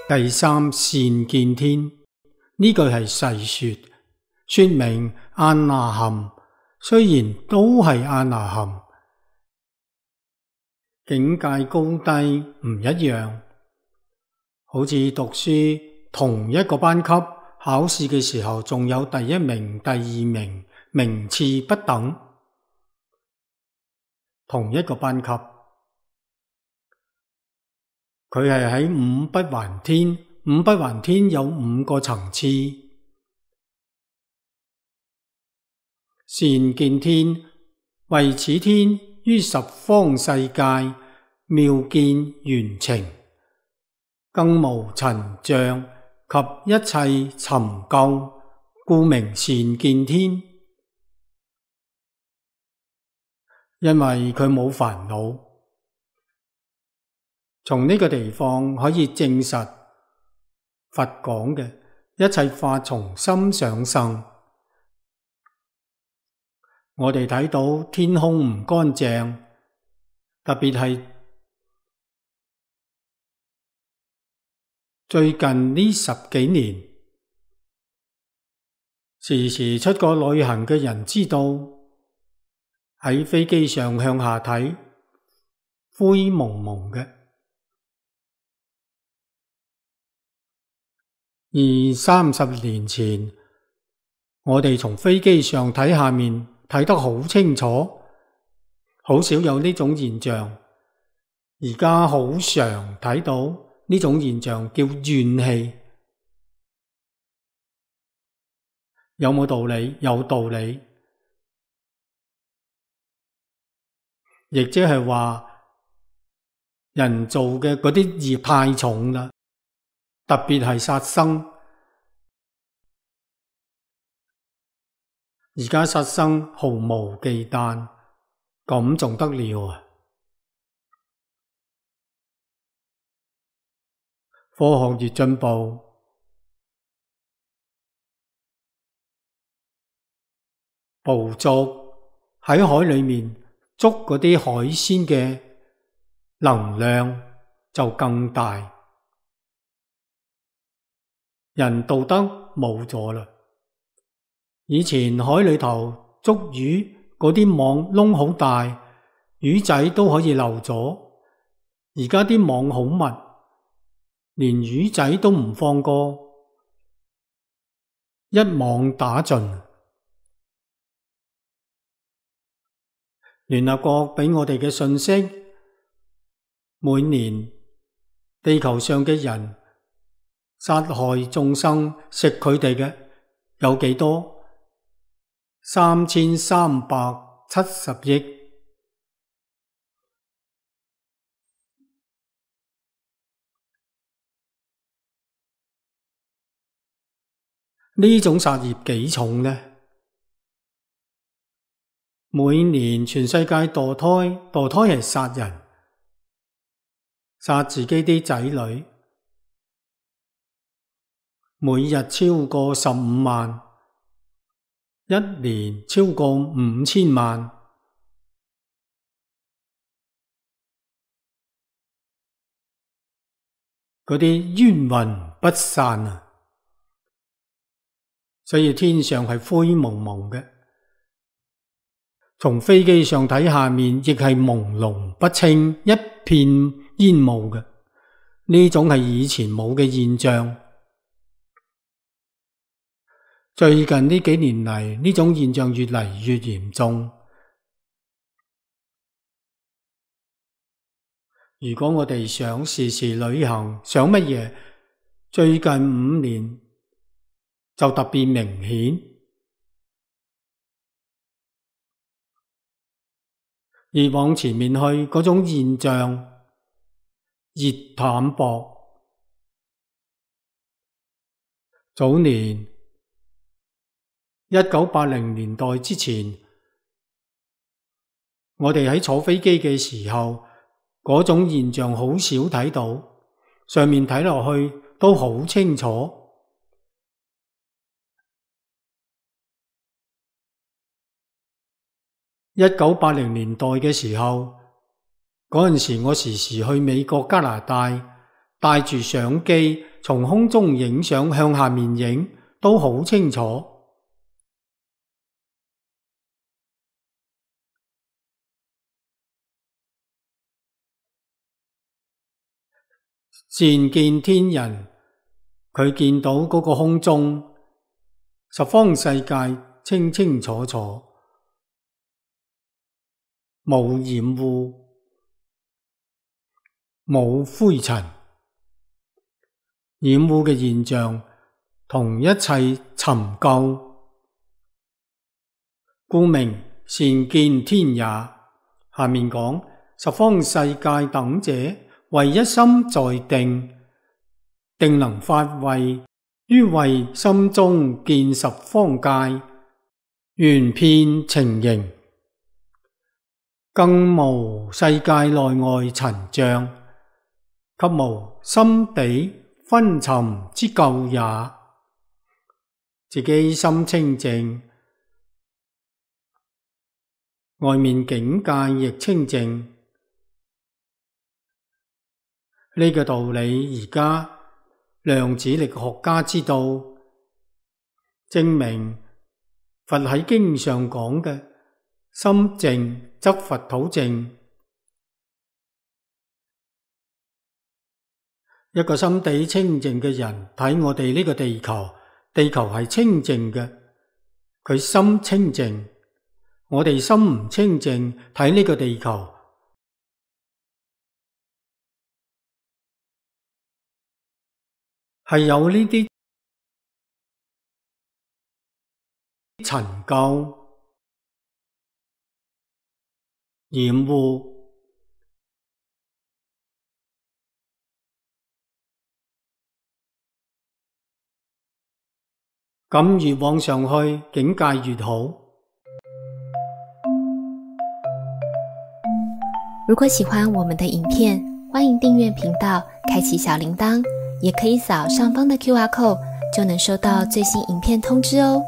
第三，善見天，呢句係細說明阿那含雖然都係阿那含，境界高低唔一樣，好似讀書同一個班級，考試嘅時候仲有第一名、第二名，名次不等。同一個班級，佢係喺五不還天，五不還天有5個層次。善見天，為此天於十方世界妙見圓澄，更無塵障及一切尋垢，故名善見天。因為佢冇煩惱，從呢個地方可以證實佛講嘅一切法從心想生。我哋睇到天空唔乾淨，特別係最近呢10幾年，時時出國旅行嘅人知道，喺飛機上向下睇，灰蒙蒙嘅。而30年前，我哋從飛機上睇下面，睇得好清楚，好少有呢種現象。而家好常睇到呢種現象，叫怨氣。有冇道理？有道理。亦即係話，人做嘅嗰啲業太重啦，特別係殺生。而家殺生毫無忌憚，咁仲得了啊？科學越進步，捕捉喺海裏面捉嗰啲海鮮嘅能量就更大，人道德冇咗啦。以前海裏頭捉魚嗰啲網窿好大，魚仔都可以漏咗。而家啲網好密，連魚仔都唔放過，一網打盡。聯合國俾我哋嘅信息，每年地球上嘅人殺害眾生，食佢哋嘅有幾多？3370億。呢種殺業幾重呢？每年全世界墮胎係殺人，殺自己啲仔女，每日超過15萬，一年超過5000萬。嗰啲冤魂不散啊！所以天上係灰蒙蒙嘅，從飛機上睇下面亦係朦朧不清，一片煙霧嘅。呢種係以前冇嘅現象。最近呢幾年嚟，呢種現象越嚟越嚴重。如果我哋想時時旅行，想乜嘢？最近5年就特別明顯。而往前面去嗰種現象，熱淡薄。早年1980年代之前，我哋喺坐飛機嘅時候，嗰種現象好少睇到，上面睇落去都好清楚。1980年代嘅時候，嗰陣時我時時去美國加拿大，帶住相機從空中影相向下面影都好清楚。善見天人，佢見到嗰個空中十方世界清清楚楚，冇染污，冇灰塵，染污嘅現象同一切尋究，故名善見天也。下面講十方世界等者，唯一心在定，定能發慧，於慧心中見十方界，圓遍情形，更無世界內外塵障，及無心地昏沉之咎也。自己心清淨，外面境界亦清淨。呢個道理而家量子力學家知道，證明佛喺經上講嘅心淨則佛土淨。一個心地清淨嘅人睇我哋呢個地球，地球係清淨嘅，佢心清淨。我哋心唔清淨，睇呢個地球係有呢啲塵垢染污，咁越往上去，境界越好。如果喜歡我們的影片，歡迎訂閱頻道，開啟小鈴鐺，也可以掃上方的QR code，就能收到最新影片通知哦。